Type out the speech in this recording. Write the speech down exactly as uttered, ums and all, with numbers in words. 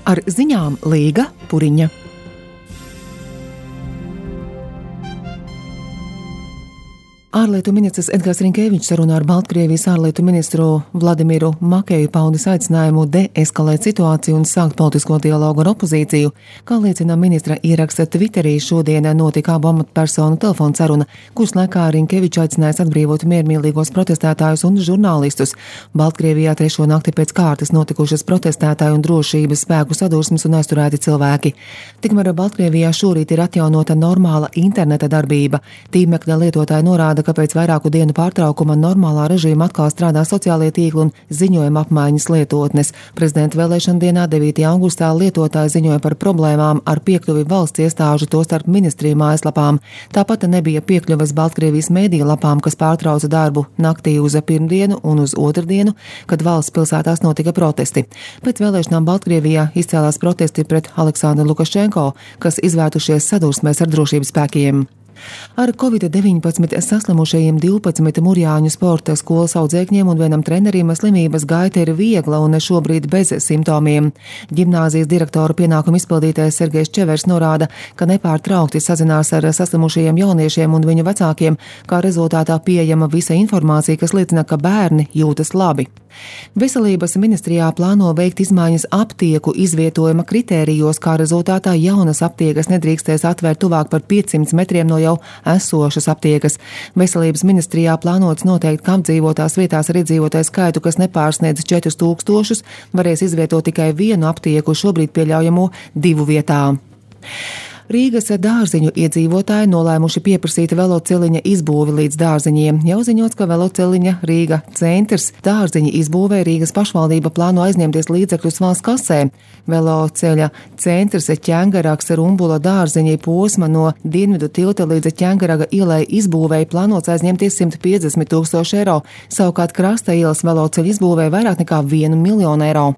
Ar ziņām Līga Puriņa. Ārlietu ministrs Edgars Rinkevičs sarunā ar Baltkrievijas ārlietu ministru Vladimiru Makeju paudis aicinājumu deeskalēt situāciju un sākt politisko dialogu ar opozīciju. Kā liecina ministra ieraksta Twitterī, šodien notika abu amatpersonu telefona saruna, kuras laikā Rinkevičs aicinājis atbrīvot miermīlīgos protestētājus un žurnālistus. Baltkrievijā trešo nakti pēc kārtas notikušas protestētāju un drošības spēku sadursmes un aizturēti cilvēki. Tikmēr Baltkrievijā šorīt ir atjaunota normāla interneta darbība. Tīmekļa lietotāji norāda, ka pēc vairāku dienu pārtraukuma normālā režīma atkal strādā sociālie tīkli un ziņojuma apmaiņas lietotnes. Prezidenta vēlēšana dienā devītajā augustā lietotāji ziņoja par problēmām ar piekļuvi valsts iestāžu, tostarp ministriju mājaslapām. Tāpat nebija piekļuves Baltkrievijas mēdīju lapām, kas pārtrauca darbu naktī uz pirmdienu un uz otrdienu, kad valsts pilsētās notika protesti. Pēc vēlēšanām Baltkrievijā izcēlās protesti pret Aleksandru Lukašenko, kas izvērtušies sadursmēs ar drošības spēkiem. Ar covid deviņpadsmit saslimušajiem divpadsmit Murjāņu sporta skolas audzēkņiem un vienam trenerim slimības gaita ir viegla un šobrīd bez simptomiem. Ģimnāzijas direktora pienākumu izpildītājs Sergejs Čevers norāda, ka nepārtraukti sazinās ar saslimušajiem jauniešiem un viņu vecākiem, kā rezultātā pieejama visa informācija, kas liecina, ka bērni jūtas labi. Veselības ministrijā plāno veikt izmaiņas aptieku izvietojuma kritērijos, kā rezultātā jaunas aptiekas nedrīkstēs atvērt tuvāk par piecsimt metriem no jau esošas aptiekas. Veselības ministrijā plānots noteikt, ka apdzīvotās vietās ar iedzīvotāju skaitu, kas nepārsniedz četrus tūkstošus, varēs izvietot tikai vienu aptieku, šobrīd pieļaujamo divu vietā. Rīgas dārziņu iedzīvotāji nolēmuši pieprasīt veloceliņa izbūvi līdz dārziņiem. Jau ziņots, ka veloceliņa Rīga centrs dārziņa izbūvē Rīgas pašvaldība plāno aizņemties līdzekļus valsts kasē. Veloceļa centrs Ķengaraks Rumbula dārziņa posma no Dienvidu tilta līdz Ķengaraga ielai izbūvēja plānots aizņemties simt piecdesmit tūkstoši eiro, savukārt Krasta ielas veloceļa izbūvē vairāk nekā vienu miljonu eiro.